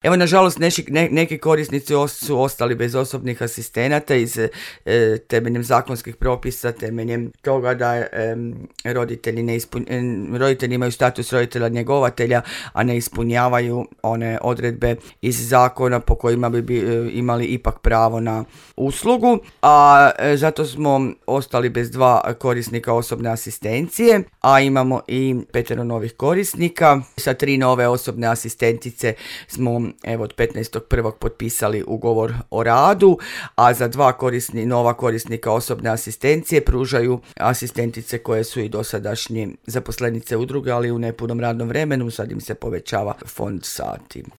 Evo, nažalost, neki korisnici su ostali bez osobnih asistenata temeljem zakonskih propisa, temeljem toga da roditelji imaju status roditelja njegovatelja, a ne ispunjavaju one odredbe iz zakona po kojima bi imali ipak pravo na uslugu, a zato smo ostali bez 2 korisnika osobne asistencije, a imamo i 5 novih korisnika. Sa 3 nove osobne asistentice smo od 15.1. potpisali ugovor o radu, a za 2 nova korisnika osobne asistencije pružaju asistentice koje su i dosadašnji zaposlenice udruge, ali u nepunom radnom vremenu. Sad im se povećava fond sati.